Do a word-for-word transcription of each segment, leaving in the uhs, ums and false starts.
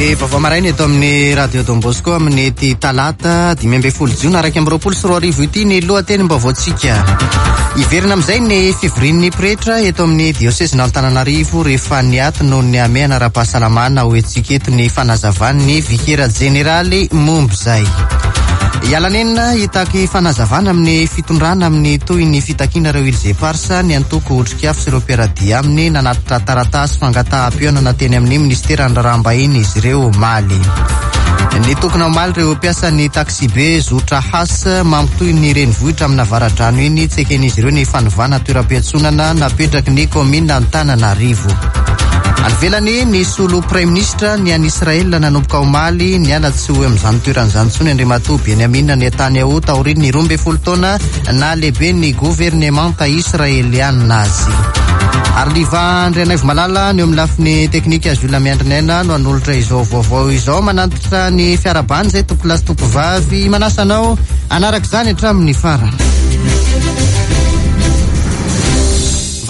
Ny vaovao maraina eto amin'ny Radio Don Bosco amin'ny ty talata dimy ambin'ny folo jiona iraika amby roapolo sy roa arivo ity ny lohatenim-baovaontsika. Hiverina amin'izay ny fivorian'ny pretra eto amin'ny diosezin'Antananarivo rehefa niato noho ny hamehana ara-pahasalamana. Ho entsika eto ny fanazavan'ny vikera jeneraly momba izay. Hiala nenina hitaky fanazavana amin'ny fitondrana amin'ny toy ny fitakiana ireo Îles Éparses ny antoko Otrikafo sy ireo mpiara-dia aminy. Nanatitra taratasy fangataham-pihaonana teny amin'ny ministeran'ny raharaham-bahiny izy ireo omaly. Nitokona omaly ireo mpiasan'ny taxibe zotra Has mampitohy ny renivohitra amina Avaradrano iny. Tsy eken'izy ireo ny fanovana toeram-piantsonana napetraky ny kaominina Antananarivo. Any ivelany, nisolo praiminisitra ny any Israel nanomboka omaly. Niala tsy ho amin'izany toeran'izany intsony Andriamatoa Benjamin Netanyahu taorian'ny roa ambin'ny folo taona na lehibe ny governemanta israelianina azy. Ary Liva Andrianaivo Malala ny eo amin'ny lafiny teknika, azy olona miandry ny aina no hanolotra izao vaovao izao. Manantitra ny fiarahabana izay tompokolahy sy tompokovavy, manasa anao hanaraka izany hatramin'ny farany.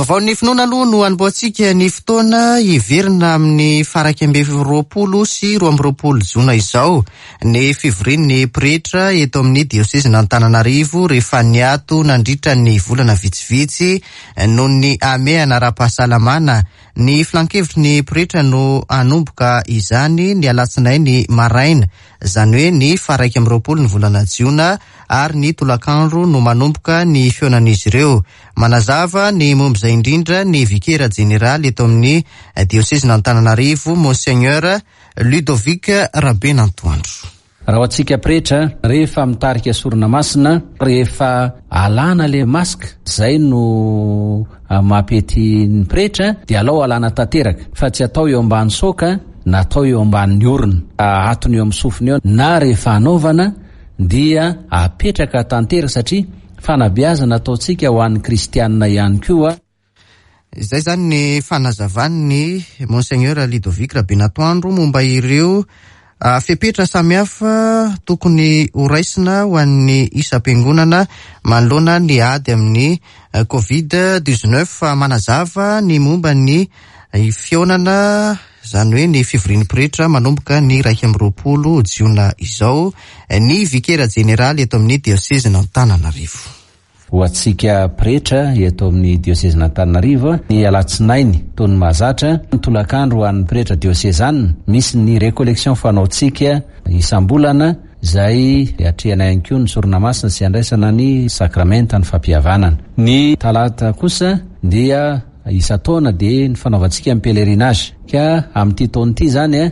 Vaovaon'ny finoana aloha no hanombohantsika ny fotoana. Hiverina amin'ny faha-iraika amby roapolo sy roa amby roapolo jona izao ny fivorian'ny pretra eto amin'ny diosezin'Antananarivo rehefa niato nandritra ny volana vitsivitsy noho ny hamehana ara-pahasalamana. Ny filankevitry ny pretra no hanomboka izany ny alatsinainy maraina, izany hoe ny faha-iraika amby roapolo ny volana jiona, ary ny tolakandro no manomboka ny fihaonan'izy ireo. Manazava ny momba izay indrindra ny vikera jeneraly eto amin'ny diosezin'Antananarivo, Monseigneur Ludovic Rabenantoandro. Raha ho antsika pretra, rehefa mitarika sorona masina, rehefa alana le masque, zay no mampety ny pretra, dia alao alana tanteraka fa tsy atao eo ambany saoka na atao eo ambanin'ny orona, ahatony eo amin'ny sofiny eo, na rehefa anaovana dia apetraka tanteraka satria fanabeazana ataontsika ho an'ny kristianina ihany koa. Izay zany ny fanazavan'ny Monseigneur Ludovic Rabenatoandro momba ireo fepetra samihafa tokony horaisina ho an'ny isam-piangonana manoloana ny ady amin'ny Covid dix-neuf. Manazava ny momba ny fihaonana, izany hoe ny fivorian'ny pretra manomboka ny iraika amby roapolo jiona izao, ny vikera jeneraly eto amin'ny diosezin'Antananarivo. Ho antsika pretra eto amin'ny diosezin'Antananarivo, ny alatsinainy toy ny mahazatra, ny tolakandro ho an'ny pretra diosezanina, misy ny récollection fanaontsika isam-bolana izay atrehana ihany koa ny sorona masina sy andraisana ny sakramenta ny fampihavanana. Ny talata kosa dia isan-taona dia ny fanaovantsika ny pèlerinage, ka amin'ity taona ity zany a,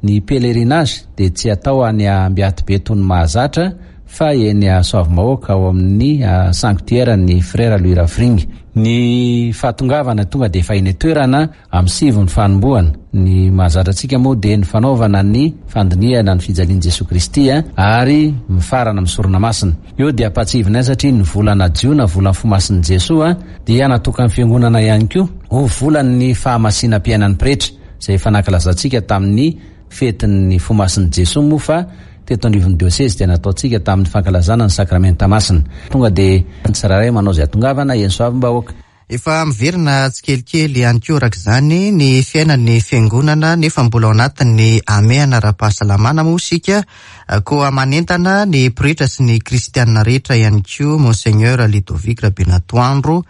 ny pèlerinage dia tsy atao any Ambiatibe toy ny mahazatra fa eny Soavimahoaka ao amin'ny sanctuaire ny frère Louis Rafringa. Ny fahatongavana tonga dia efa eny an-toerana amin'ny sivy ny fanombohana. Ny mahazatra antsika moa dia ny fanaovana ny fandinihana ny fijalian'i Jesoa Kristy ary mifarana amin'ny sorona masina. Eo dia ampahatsiahivina satria ny volana jiona, volan'ny fo masin'i Jesoa, dia natokan'ny fiangonana ihany koa ho volan'ny fahamasinam-piainan'ny pretra, izay efa nankalazantsika tamin'ny fetin'ny fo masin'i Jesoa moa fa teto anivon'ny diosezy dia nataontsika tamin'ny fankalazana ny sakramenta masina. Tonga dia ny tsirairay manao izay hatongavana eny Soavimbahoaka. Efa miverina tsikelikely ihany koa araka izany ny fiainan'ny fiangonana, nefa mbola ao anatin'ny hamehana ara-pahasalamana moa isika, koa manentana ny pretra sy ny kristianina rehetra ihany koa Monseigneur Ludovic Rabenatoandro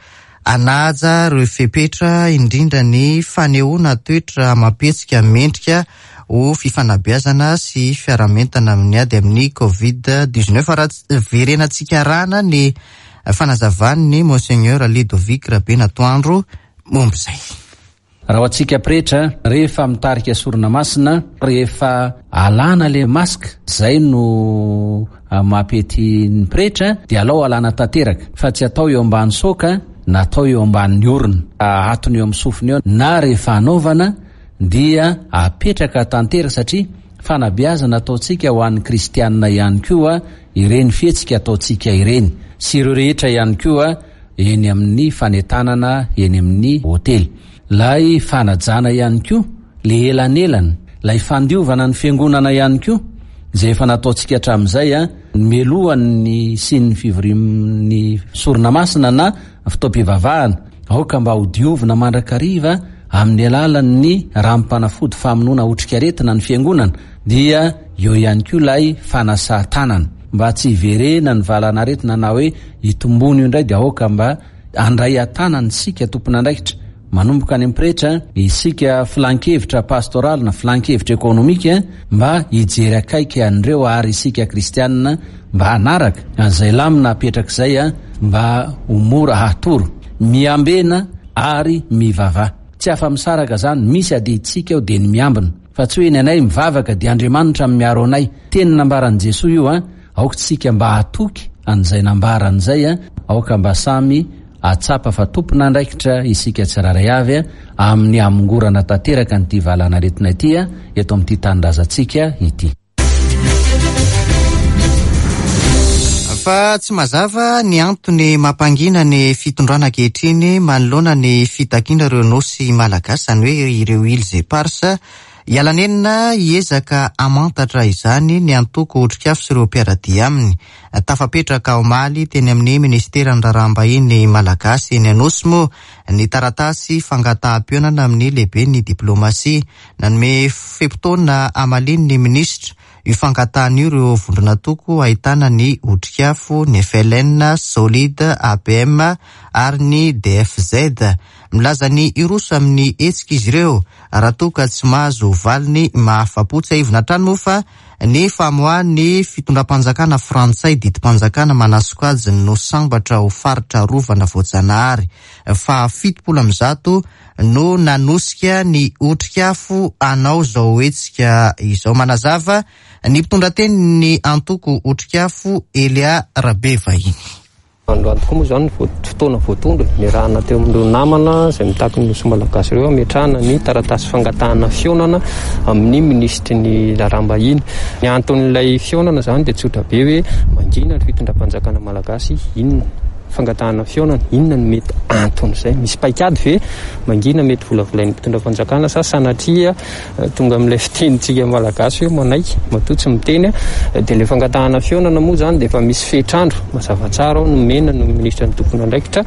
hanaja ireo fepetra, indrindra ny fanehoana toetra mampihetsika mendrika ho fifanabeazana sy fiaramentana amin'ny ady amin'ny Covid dix-neuf. Raha verenantsika arahana ny fanazavan'ny Monseigneur Ludovic Rabenatoandro momba izay. Raha ho antsika pretra, rehefa mitarika sorona masina, rehefa alana le masque, zay no mampety ny pretra, dia alao alana tanteraka fa tsy atao eo ambany saoka na atao eo ambanin'ny orona, ahatony eo amin'ny sofiny eo, na rehefa anaovana dia apetraka tanteraka satria fanabeazana ataontsika ho an'ny kristianina ihany koa ireny fihetsika ataontsika ireny, sy ireo rehetra ihany koa eny amin'ny fanentanana eny amin'ny hotely. Lay fanajana ihany koa le elanelana, lay fandiovana ny fiangonana ihany koa izay efa nataontsika hatramin'izay a, mialohan'ny hisian'ny fivorian'ny sorona masina na fotoam-pivavahana, aoka mba ho diovina mandrakariva amin'ny alalan'ny ranom-panafody famonoana otrikaretina ny fiangonana, dia eo ihany koa ilay fanasan-tanana mba tsy hiverena ny valanaretina na hoe hitombony io indray. Dia aoka mba handray an-tanana isika tompon'andraikitra, manomboka any amin'ny pretra isika, filan-kevitra pastoraly na filan-kevitra ekonomika, mba hijery akaiky an'ireo, ary isika kristianina mba hanaraka an'izay lamina apetraka izay a mba ho mora hatoro. Miambena ary mivavaha, tsy afa-misaraka zany. Misy adidintsika ao dia ny miambina, fa tsy hoe ny anay mivavaka dia Andriamanitra miaro anay. Teny nambaran'i Jesoa io a aoka tsika mba hatoky an'izay nambaran'izay a aoka mba samy atsapa fa tompon'andraikitra isika tsirairay avy a amin'ny hamongorana tanteraka nyity valanaretina ity a eto amin'ity tanindrazantsika ity. Fa tsy mazava ny antony mampangina ny fitondrana ankehitriny manoloana ny fitakiana ireo nosy malagasy, izany hoe ireo îles éparses. Hiala nenina hiezaka hamantatra izany ny antoko Otrikafo sy ireo mpiara-dia aminy. Tafapetraka omaly teny amin'ny ministeran'ny raharaham-bahiny malagasy eny Anosy moa ny taratasy fangataham-pihaonana amin'ny lehibe ny diplomasia. Nanome fe-potoana hamaliany ny minisitra io fangatahana io ireo vondron'antoko ahitana ny Otrikafo, ny F L N, Solide, A P M ary ny D F Z. Milaza ny hiroso amin'ny hetsika izy ireo raha toa ka tsy mahazo valiny mahafa-po. Tsiahivina hatrany moa fa ny famoahan'ny fitondram-panjakana frantsay didim-panjakana manasokajy no sambatra ho faritra arovana voajanahary fa fitopolo amby zato no nanosika ny Otrikafo hanao zao hetsika izao. Manazava ny mpitondra teny ny antoko Otrikafo, Elia Rabevahiny. Androany tokoa moa zany fotoana voatondro niarahana teo amin'ireo namana izay mitaky ny nosy malagasy ireo ametrahana ny taratasy fangatahana fihaonana amin'ny minisitry ny raharaham-bahiny. Ny anton'ilay fihaonana zany dia tsotra be, hoe mangina ny fitondram-panjakana malagasy, inona fangatahana fihaonana, inona no mety anton'izay? Misy paikady ve mangina mety volavolain'ny mpitondra fanjakana, sa sanatria tonga amin'ilay fitenintsika malagasy hoe manaiky matoa tsy miteny? Dia le fangatahana fihaonana moa zany dia efa misy fetrandro mazava tsara ao nomena no minisitra ny tompon'andraikitra,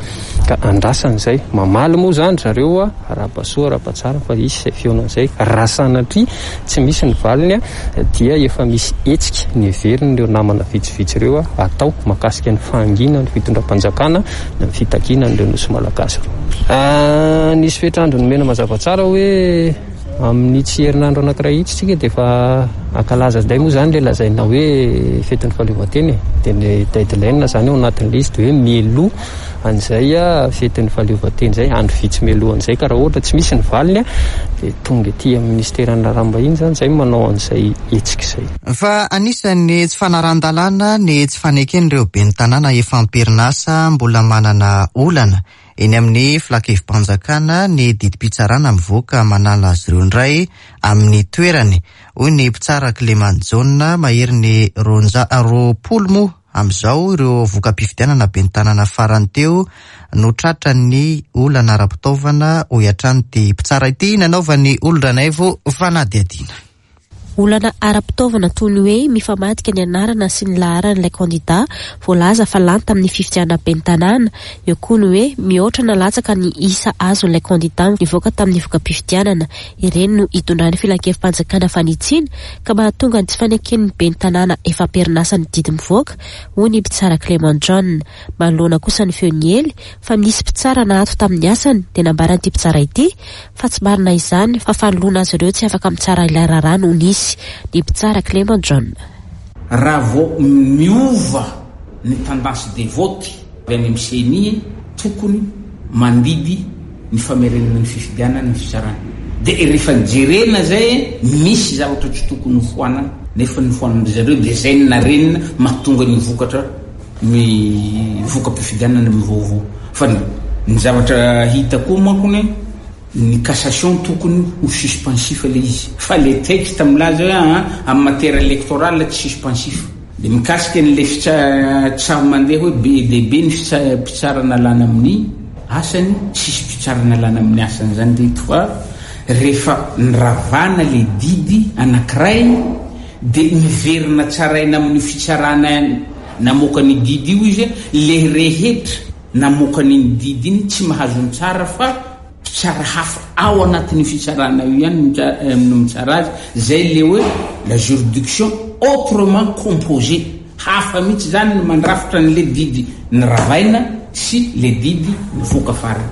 ka andrasan'izay mamaly moa zany zareo a arahaba soa, arahaba tsara, fa isy izay fihaonana izay. Raha sanatria tsy misy ny valiny a dia efa misy hetsika ny heverin'ireo namana vitsivitsy ireo a atao mahakasika ny fahangina ny fitondram-panjakana na ny fitakiana an'ireo nosy malagasy ireo. Nisy fetrandro nomena mazava tsara hoe amin'ny tsy herinandro anankiray itsy tsika dia efa ankalaza indray moa zany le lazaina hoe fetin'ny fahaleovantena e, dia ny deadline zany ao anatin'le izy dia hoe mialoha an'izay a fetin'ny fahaleovantena zay, andro vitsy mialohan'izay, ka raha ohatra tsy misy ny valiny a dia tonga ety amin'ny ministeran'ny raharaham-bahiny zany zay manao an'izay hetsika izay. Fa anisan'ny tsy fanaran-dalàna ny tsy faneken'ireo ben'ny tanàna efa am-perinasa mbola manana olana eny amin'ny filan-kevi-panjakana ny didim-pitsarana mivoaka manala azy ireo indray amin'ny toerany, hoy ny mpitsara Clément Jaona. Mahery ny ronja roapolo moa amin'izao ireo voka-pifidianana ben'ny tanàna farany teo no tratra ny olana ara-pitaovana, hoy hatrany ty mpitsara ity nanaovany olon-dranaivo fanadihadiana. Olana ara-pitaovana toy ny hoe mifamadika ny anarana sy ny laharan'ilay kandida voalaza fa lany tamin'ny fifidianana ben'ny tanàna. Eo koa ny hoe mihoatra na latsaka ny isa azon'ilay kandida nivoaka tamin'ny voka-pifidianana. Ireny no hitondran'ny filan-kevi-panjakana fanitsiana ka mahatonga ny tsy faneken'ny ben'ny tanàna efa am-perinasa ny didy mivoaka, hoy ny mpitsara Clément John. Manoloana kosa ny feo niely fa nisy mpitsara naato tamin'ny asany, dia nambaran'ity mpitsara ity fa tsy marina izany, fa fanoloana azy ireo tsy afaka mitsara ilay raharaha no nisy. Ny mpitsara Clément John. Raha vao miova ny tendance de vote avy any amin'ny C E N I, tokony mandidy ny famerenana ny fifidianana ny fitsarana. De rehefa nijerena zay, misy zavatra tsy tokony hofoanana nefa ny foanana zareo, de zay ny narenina mahatonga ny vokatra ny voka-pifidianana mivaovao. Fa ny zavatra hita koa mankony, ny cassation tokony ho suspensif le izy, fa le texte milaza hoe aa amy matière électorale tsy suspensif. De mikasika n'le fitsa tsao mandeha hoe be dehibe ny fitsa mpitsarana lana amin'ny asany, tsisy mpitsarana lana amin'ny asany zany reto, fa rehefa nyravana le didy anankiray de miverina tsaraina amin'ny fitsarana namoaka ny didy io izy. Le rehetra namoaka n'iny didy iny tsy mahazo ny tsara fa Mpitsara hafa ao anatin'ny fitsarana io ihany no mitsara azy. Zay le hoe la juridiction autrement composée, hafa mihitsy zany no mandrafitra n'le didy ny ravaina sy le didy nivoaka farany.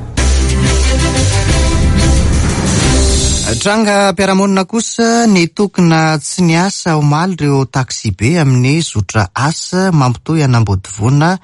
Tranga mpiara-monina kosa, nitokona tsy niasa omaly ireo taksibe amin'ny zotra asa mampitohy an'Ambodivona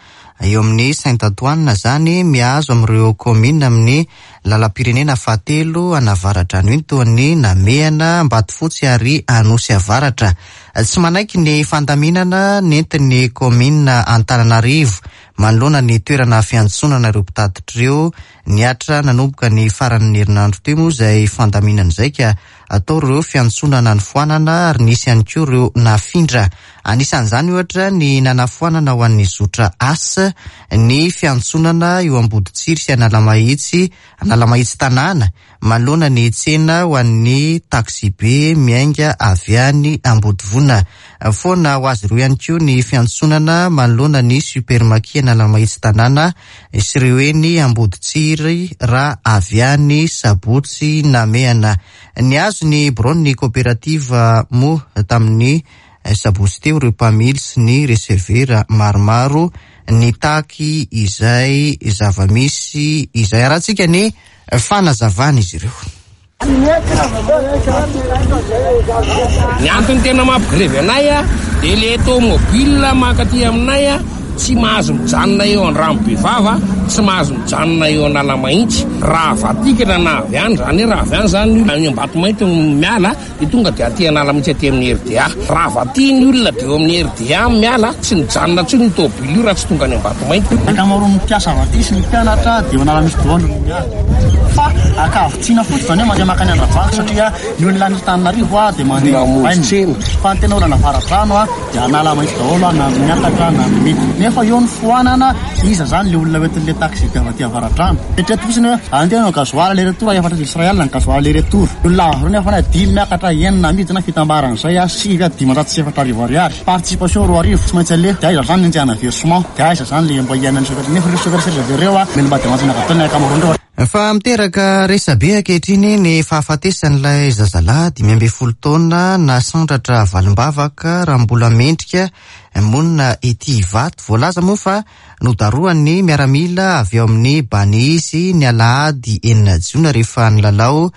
eo amin'ny Saint Antoine, zany mihazo amin'ireo kaominina amin'ny lalam-pirenena fahatelo an'Avaradrano iny, toa ny Namehana, Ambatofotsy ary Anosy Avaratra. Tsy manaiky ny fandaminana nentin'ny kaominina Antananarivo manoloana ny toerana fiantsonana ireo mpitatitra ireo. Niatra nanomboka ny faran'ny herinandro teo moa izay fandaminana izay, ka atao ireo fiantsonana nofoanana ary nisy ihany koa ireo nafindra. Anisan'izany ohatra ny nanafoanana ho an'ny zotra asa ny fiantsonana eo Amboditsiry sy Analamahitsy Analamahitsy tanàna manoloana ny tsena ho an'ny taksibe miainga avy any Ambodivona. Foana ho azy ireo ihany koa ny fiantsonana manoloana ny supermarché Analamahitsy tanàna sy ireo eny Amboditsiry raha avy any Sabotsy Namehana. Nihazo ny biraon'ny coopérative moa tamin'ny sabotsy teo ireo mpamily sy ny resevera maromaro nitaky izay zava-misy izay. Arahantsika ny fanazavana izy ireo. Ny antony tena mampigrevy anay a dia le tomobile mankaty aminay a tsy mahazo mijanona eo Andrano-Bevava, tsy mahazo mijanona eo Analamahitsy. Raha vatikana na avy any zany hoe raha avy any zany any Ambatomainty miala dia tonga dia aty Analamahitsy aty amin'ny R D A. Raha vaty ny olona dia eo amin'ny R D A miala, tsy mijanona intsony ny tomobile io raha tsy tonga any Ambatomainty. Ankamaroan'ny mpiasa vaty sy ny mpianatra dia eo Analamahitsy daholo no miala. Fa ankavitsiana fotsiny zany hoe mandeha mankany Andravoahangy satria ny olona any Antananarivo a dia mandeha aina. Fa ny tena olona Avaradrano a dia Analamahitsy daholo na miakatra na midina. Nefa eo ny foanana, iza zany le olona hoentin'le taxi be avy aty Avaradrano. Eritrereto fotsiny hoe andeha hanao gasoil aller retour efatra Israel ny gasoil aller retour. Olona avy ireo nefa na dimy miakatra, enina midina, fitambaran'izay a sivy a dimanjato sy efatra arivo ariary. Participation roa arivo tsy maintsy aleha. Dia aiza zany ny anjehana versement, dia aiza zany le mba hiainan'ny chauffeur. Nefa ireo chauffeur seza ireo a mila mba dimantsina daholo ny ankamaroan'ireo. Fa miteraka resabe ankehitriny ny fahafatesan'ilay zazalahy dimy ambin'ny folo taona nasandratra valimbavaka raha mbola mendrika monina ety Ivato. Voalaza moa fa nodaroan'ny miaramila avy eo amin'ny Banizy ny alahady enina jona rehefa nilalao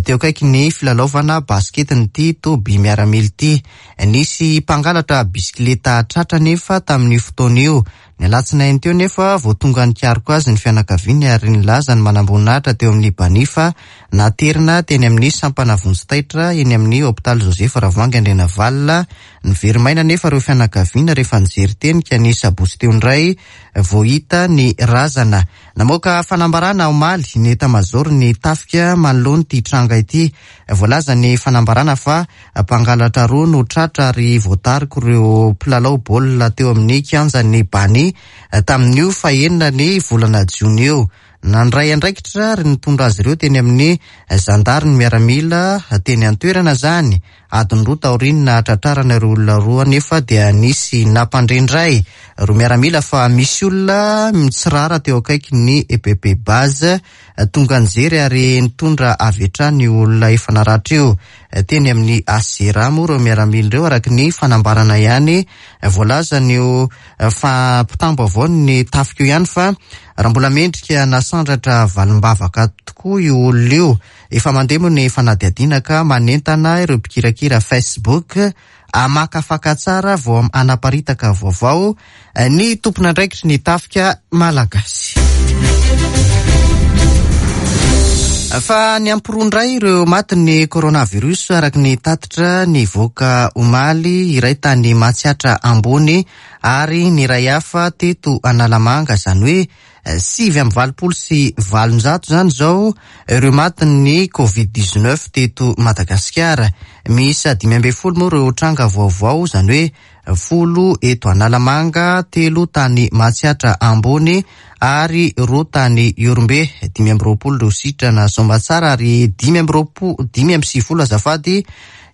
teo akaiky ny filalaovana basketin'ity toby miaramila ity. Nisy mpangalatra bisikileta tratra nefa tamin'io fotoana io. Ny alatsinainy teo nefa vao tonga nikaroka azy ny fianakaviany ary nilaza ny manamboninahitra teo amin'ny Bani fa naterina teny amin'ny sampana vonjy taitra eny amin'ny hopitaly Joseph Ravoahangy Andrianavalona. Nivery-maina nefa ireo fianakaviana rehefa nijery teny ka ny sabotsy teo indray vao hita ny razana. Namoaka fanambarana omaly ny état-major ny tafika manoloana ity tranga ity. Voalaza ny fanambarana fa mpangalatra roa no tratra ary voatariko ireo mpilalao baolina teo amin'ny kianjan'ny Bani tamin'io fahenina ny volana jona io. Nandray andraikitra ary nitondra azy ireo teny amin'ny zandary ny miaramila teny an-toerana zany. Adiny roa taorian'ny nahatratrarana ireo olona roa nefa dia nisy nampandrendray roa miaramila fa misy olona mitsirara teo akaiky ny E P P base tonga nijery ary nitondra avy hatrany io olona efa naratra io teny amin'ny A C R A moa ireo miaramila ireo, araka ny fanambarana ihany. Voalazan'io fampitam-baovao ny tafika io ihany fa raha mbola mendrika nasandratra valimbavaka tokoa io olona io. Efa mandeha moa ny fanadihadiana ka manentana ireo mpikirakira Facebook hamakafaka tsara vao hanaparitaka vaovao ny tompon'andraikitry ny tafika malagasy. Fa ny ampiroa indray ireo matin'ny coronavirus araka ny tatitra nivoaka omaly, iray tany Matsiatra Ambony ary ny iray hafa teto Analamanga, izany hoe sivy amby valopolo sy valonjato zany izao ireo matin'ny covid dix-neuf teto Madagasikara. Miisa dimy ambin'ny folo moa ireo tranga vaovao, izany hoe folo eto Analamanga, telo tany Matsiatra Ambony ary roa tany Ihorombe. Dimy amby roapolo ireo sitrana soamatsara ary dimy amby roapolo, dimy amby sivifolo azafady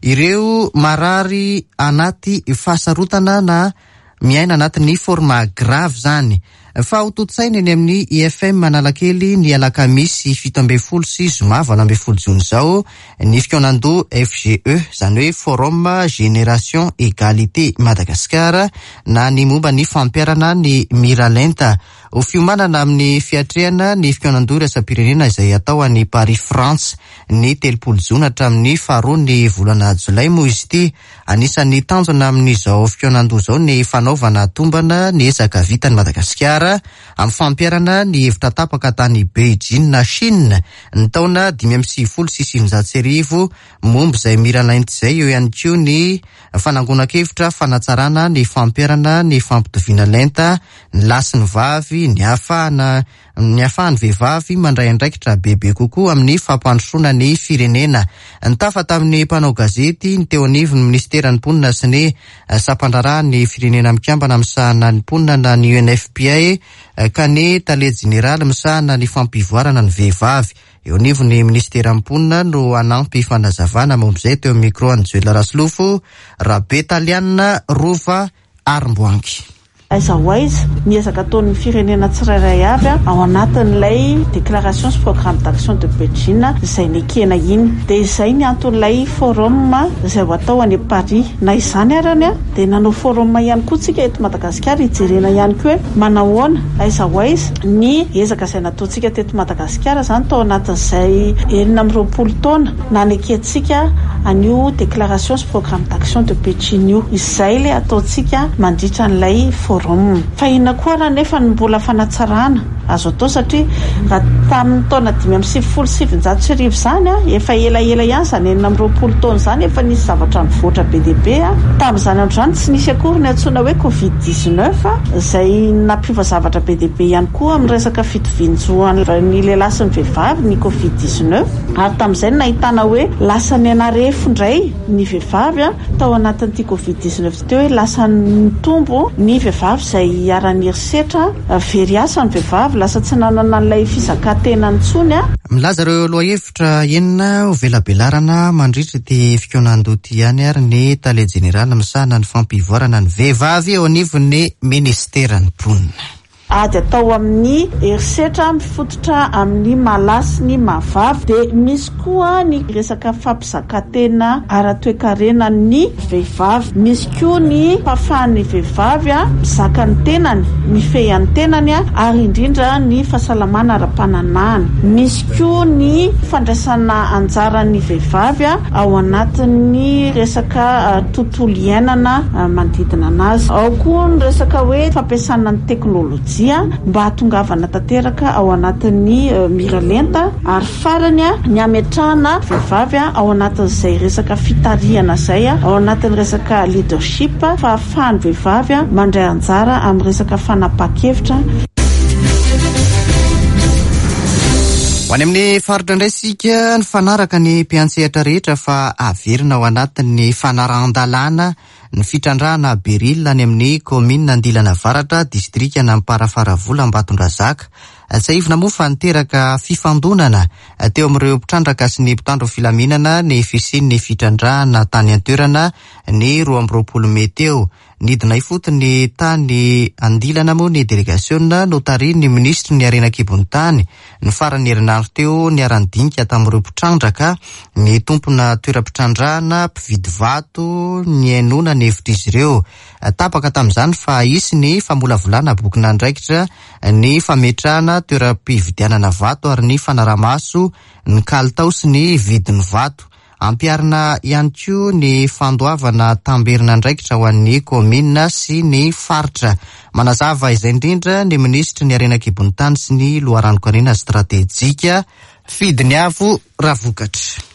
ireo marary anaty fahasarotana na miaina anatin'ny forme grave zany. Fa ho tontosaina eny amin'ny I F M Analakely ny alakamisy fito ambin'ny folo sy zoma valo ambin'ny folo jona izao ny fikaonandoha F G E, izany hoe Forum Génération Égalité Madagascar, na ny momba ny fampiharana ny miralenta ho fiomanana amin'ny fiatrehana ny fikaonandoha iraisam-pirenena izay atao any Paris, France, ny telopolo jona hatramin'ny faharoa ny volana jolay moa izy ity. Anisan'ny tanjona amin'izao fikaonandoha izao ny fanaovana tombana ny ezaka vitan'i Madagasikara amin'ny fampiharana ny hevitra tapaka tany Beijing, Chine, ny taona dimy amby sivifolo sy sivinjato sy arivo momba izay miralenta izay. Eo ihany koa ny fanangonan-kevitra fanatsarana ny fampiharana ny fampitoviana lenta ny lahy sy ny vavy, ny ahafahana ny ahafahan'ny vehivavy mandray andraikitra bebe kokoa amin'ny fampandrosoana ny firenena. Nitafa tamin'ny mpanao gazety ny teo anivon'ny ministeran'ny mponina sy ny sampandraharahan'ny Firenena Mikambana misahana ny mponina na ny U N F P A, ka ny tale jeneraly misahana ny fampivoarana ny vehivavy eo anivon'ny ministeran'ny mponina no anampy fanazavana momba izay teo amin'ny micro an'i Joel Rasolofo Rabetaliana Rova Arimboangy. Aiza ho aiza ny ezaka ataon'ny firenena tsirairay avy ao anatin'ilay déclaration sy programme d'action de Beijing izay nekena iny? Dia izay ny anton'ilay forum izay ho atao any Paris. Na izany arany a dia nanao forum ihany koa tsika eto Madagasikara hijerena ihany koa hoe manahoana, aiza ho aiza ny ezaka izay nataontsika teto Madagasikara zany tao anatin'izay enina amby roapolo taona nanekentsika an'io déclaration sy programme d'action de Beijing io. Izay le ataontsika mandritra n'ilay forum. Fa inona koa raha nefa ny mbola fanatsarana azo atao? Satria raha tamin'ny taona dimy amby sivifolo sivinjato sy arivo zany a, efa elaela ihany zany enina amby roapolo taona zany, efa nisy zavatra nivoatra be dehibe a. Tamin'izany andro zany tsy nisy akory ny antsoina hoe Covid dix-neuf izay nampiova zavatra be dehibe ihany koa amin'ny resaka fitovian-jon'ny lehilahy sy ny vehivavy ny Covid dix-neuf. Ary tamin'izay no nahitana hoe lasa ny anarefo indray ny vehivavy a tao anatin'ity Covid dix-neuf teo, hoe lasa nitombo ny vehivavy izay iharan'ny herisetra, very asa ny vehivavy, lasa tsy nanana an'ilay fizakatena intsony a. Milaza ireo lohahevitra enina ho velabelarana mandritra ity fikaonandoha ity ihany ary ny tale jeneraly misahana ny fampivoarana ny vehivavy eo anivon'ny ministeran'ny mponina. Ady atao amin'ny herisetra mifototra amin'ny maha-lahy sy ny maha-vavy, dia misy koa ny resaka fampizakatena ara-toekarena ny vehivavy, misy koa ny fahafahan'ny vehivavy a mizaka ny tenany, mifehy ny tenany a, ary indrindra ny fahasalamana ara-pananahana, misy koa ny fandraisana anjaran'ny vehivavy a ao anatin'ny resaka tontolo iainana manodidina anazy, ao koa ny resaka hoe fampiasana ny teknôlôjia mba hahatongavana tanteraka ao anatin'ny miralenta, ary farany a ny ametrahana vehivavy a ao anatin'izay resaka fitarihana zay a, ao anatin'ny resaka leadership, fahafahan'ny vehivavy a mandray anjara amin'ny resaka fanapahan-kevitra. Ho any amin'ny faritra indray sika. Ny fanaraka ny mpiantsehatra rehetra fa averina ao anatin'ny fanarahan-dalàna ny fitrandrahana béryl any amin'ny kaominina Andilana Avaratra, distrika Amparafaravola, Ambatondrazaka. Tsiahivina moa fa niteraka fifandonana teo amin'ireo mpitrandraka sy ny mpitandro filaminana ny fisian'ny fitrandrahana tany an-toerana ny roa amby roapolo mey teo. Nidina ifotony tany Andilana moa ny delegasiona notarihin'ny minisitry ny harena an-kibon'ny tany ny farany herinandro teo, niara-nidinika tamin'ireo mpitrandraka, ny tompona toeram-pitrandrahana, mpividy vato, nihainoana ny hevitr'izy ireo. Tapaka tamin'izany fa hisy ny famolavolana bokin'andraikitra, ny fametrahana toeram-pividianana vato ary ny fanarahamaso ny kalitao sy ny vidin'ny vato. Ampiharina ihany koa ny fandoavana tamberina andraikitra ho an'ny kaominina sy ny faritra. Manazava izay indrindra ny minisitry ny harena an-kibon'ny tany sy ny loharanon-karena stratejika, Fidiniavo Ravokatra.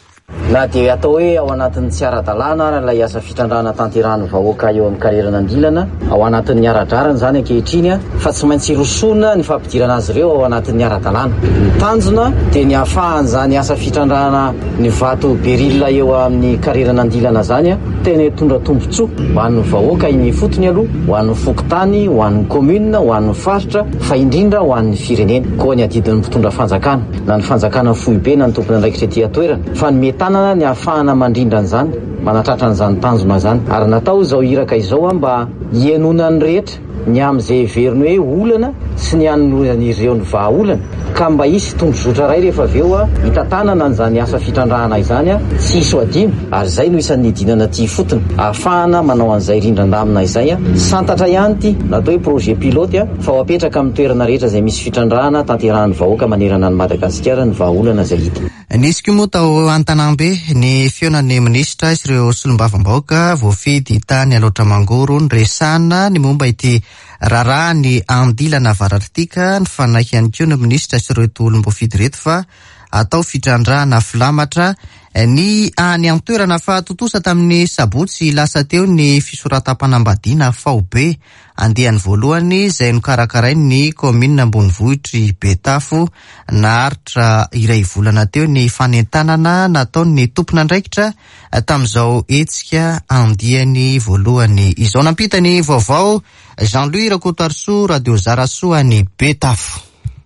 Na dia atao hoe ao anatin'ny tsy ara-dalàna ary ilay asa fitrandrahana tanterahan'ny vahoaka eo amin'ny karieran'Andilana, ao anatin'ny ara-drariny zany ankehitriny a, fa tsy maintsy rosoana ny fampidirana azy ireo ao anatin'ny ara-dalàna. Ny tanjona dia ny ahafahany zany asa fitrandrahana ny vato béryl eo amin'ny karieran'Andilana zany a tena hitondra tombontsoa ho an'ny vahoaka iny fotony aloha, ho an'ny fokontany, ho an'ny commune, ho an'ny faritra, fa indrindra ho an'ny firenena koa. Ny adidin'ny mpitondra fanjakana, na ny fanjakana foibe na ny tompona andraikitra ety an-toerana, fa ny tanana ny ahafahana mandrindra an'izany, manatratra an'izany tanjona zany. Ary natao izao iraka izao a mba hihainoana ny rehetra. ny amin'izay heveriny hoe olana sy ny anoloran'ireo ny vahaolana, ka mba hisy tondrozotra iray rehefa avy eo hitantanana an'izany asa fitrandrahana izany, tsy hisy ho adino. Ary izay no isan'ny nidinana aty ifotony ahafahana manao an'izay rindran-damina izay. Santatra ihany ity natao hoe projet pilote, fa ho apetraka amin'ny toerana rehetra izay misy fitrandrahana tanterahan'ny vahoaka manerana an'i Madagasikara ny vahaolana izay hita. Nisy koa moa tao Antanambe ny fihaonan'ny minisitra sy ireo solombavambahoaka voafidy tany Alaotra Mangoro, niresahana ny momba ity raharaha ny andilana avaratr'ity, ka nifanaiky ihany koa ny minisitra sy ireto olom-boafidy ireto fa atao fitrandrahana filamatra ny any an-toerana. Fa tontosa tamin'ny sabotsy lasa teo ny fisoratam-panambadiana faobe andiany voalohany izay nokarakarain'ny kaominina ambonivohitr'i Betafo. Naharitra iray volana teo ny fanentanana nataon'ny tompon'andraikitra tamin'izao hetsika andiany voalohany izao. Nampita ny vaovao Jean-Louis Rakotoarisoa, Radio Zarasoa any Betafo.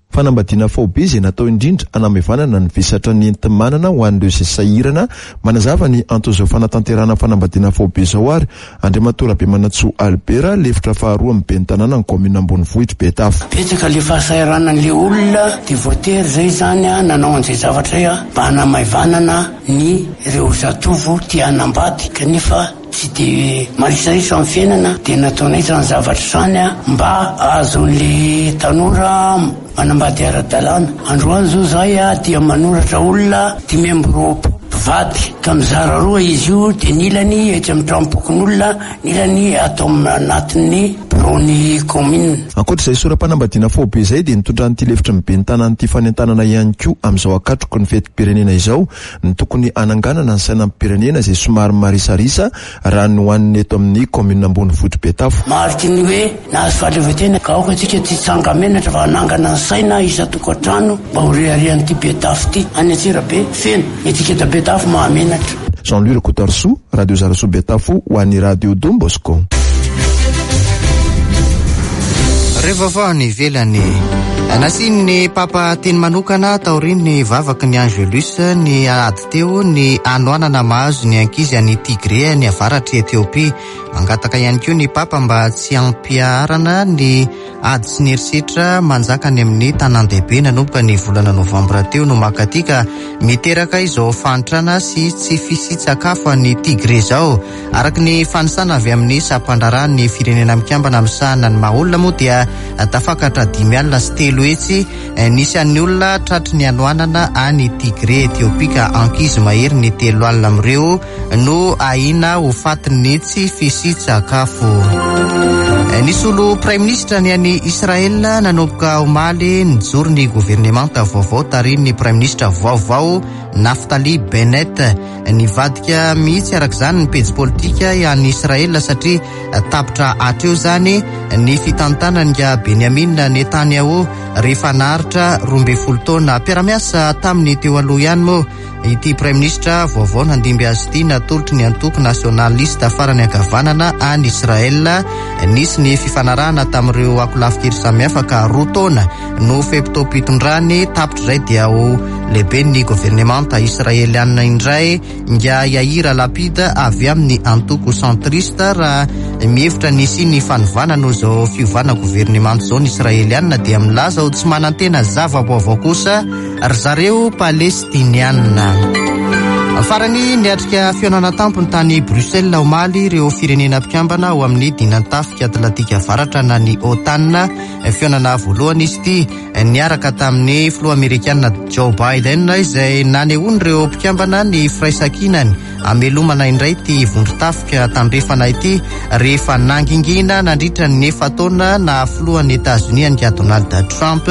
Fanambadiana faobe izay natao indrindra hanamaivanana ny vesatra ny enti-manana ho an'ireo izay sahirana. Manazava ny anton'izao fanatanterahana fanambadiana faobe izao ary Andriamatoa Rabemanantsoa Albert, lefitra faharoa amin'ny ben'ny tanàna ny kaominina ambonivohitr'i Betafo. Betsaka le fahasahiranan'le olona, dia voatery zay zany a nanao an'izay zavatra zay a mba hanamaivanana ny ireo zatovo tia hanambady kanefa tsy de marisarisa amin'ny fiainana, dia nataonay zany zavatra zany a mba ahazon'le tanora manambady ara-dalàna. Androany zao zahay a dia manoratra olona dimy amby roapolo mpivady, ka mizara roa izy io, dia ny ilany etsy amin'ny tranom-pokonolona, ny ilany atao anatin'ny biraon'ny kaominina. Ankoatra izay sora-panambadiana faobe izay, dia nitondran'ity lefitry ny ben'ny tanàna ity fanentanana ihany koa amin'izao akatroky ny fetim-pirenena izao ny tokony hananganana ny sainam-pirenena izay somary marisarisa raha ny hoaniny eto amin'ny kaominina ambonivohitr'i Betafo. Mariky ny hoe nahazo fahaleovantena, ka aoka antsika tsy hitsanga-menatra fa hanangana ny saina isan-tokantrano mba ho reharehan'ity Betafo ity. Any Antsirabe feno ny antsika eto Betafo mahamenatra. Jean-Louis Rakotoarisoa, Radio Zarasoa Betafo, ho an'ny Radio Don Bosco. Reo vaovao any ivelany. Nasian'ny Papa teny manokana taorian'ny vavaky ny Angelus ny ady teo ny hanoanana mahazo ny ankizy any Tigré any avaratr'i Etiopia. Mangataka ihany koa ny Papa mba tsy hampiharana ny ady sy ny herisetra manjaka any amin'ny tanàn-dehibe nanomboka ny volana novambra teo no mankaty, ka miteraka izao fahantrana sy tsy fisian-tsakafo any Tigré izao. Araka ny fanisana avy amin'ny sampan-draharahan'ny firenena mikambana misahana ny maha olona moa dia tafakatra dimy alina sy telo hetsy nisy an'ny olona tratry ny hanoanana any Tigré Etiopia, ka ankizy mahery ny telo alina amin'ireo no ahiana ho fatin'ny tsy fisian-tsakafo. Nisolo praiminisitra ny any Israel nanomboka omaly, nijoro ny governemanta vaovao tarihin'ny praiminisitra vaovao Naftali Bennett. Nivadika mihitsy arak'izany ny pejy politika any Israel satria tapitra hatreo zany ny fitantanan'i Benjamin Netanyahu rehefa naharitra roa ambin'ny folo taona. Mpiara-miasa tamin'ny teo aloha ihany moa ity praiminisitra vaovao nandimby azy ity, natolotry ny antoko nasionalista farany ankavanana any Israel. Nisy ny fifanarahana tamin'ireo ankolafin-kery samihafa ka roa taona no fe-potoam-pitondrany. Tapitra izay dia ho lehiben'ny governemanta israelianina indray nga Yair Lapid avy amin'ny antoko centriste. Raha mihevitra nisy ny fanovana noho izao fiovana governemanta izao ny israelianina, dia milaza ho tsy manantena zava-baovao kosa ry zareo palestinianina. Farany, niatrika fihaonana tampony tany Bruxelles omaly ireo firenena mpikambana ao amin'ny dinantafika Atlantika Avaratra na ny OTAN. Fihaonana voalohany izy ity niaraka tamin'ny filoha amerikana Joe Biden, izay nanehoan'ireo mpikambana ny firaisankinany amelomana indray ity vondron-tafika tandrefana ity rehefa nangingina nandritra ny efa-taona na filohan'ny Etazonia ny Donald Trump.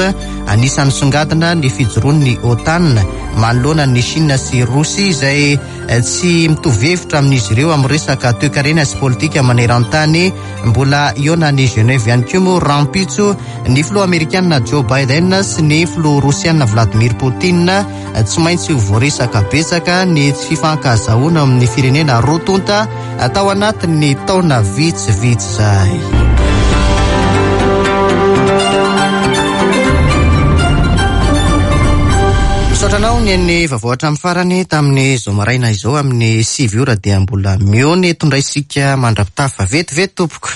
Anisan'ny songadina ny fijoroan'ny OTAN manoloana ny Chine sy Rosia izay tsy mitovy hevitra amin'izy ireo amin'ny resaka toekarena sy politika maneran-tany. Mbola hihaona any Genève ihany koa moa rahampitso ny filoha amerikana Joe Biden sy ny filoha rosiana Vladimir Poutine. Tsy maintsy ho voaresaka betsaka ny tsy fifankazahoana amin'ny firenena roa tonta tao anatin'ny taona vitsivitsy zay. Misaotra anao ny ny vaovao hatramin'ny farany tamin'ny zao maraina izao. Amin'ny sivy ora dia mbola mihaona eto indray isika mandra-pitafa. Vetivety tompoko.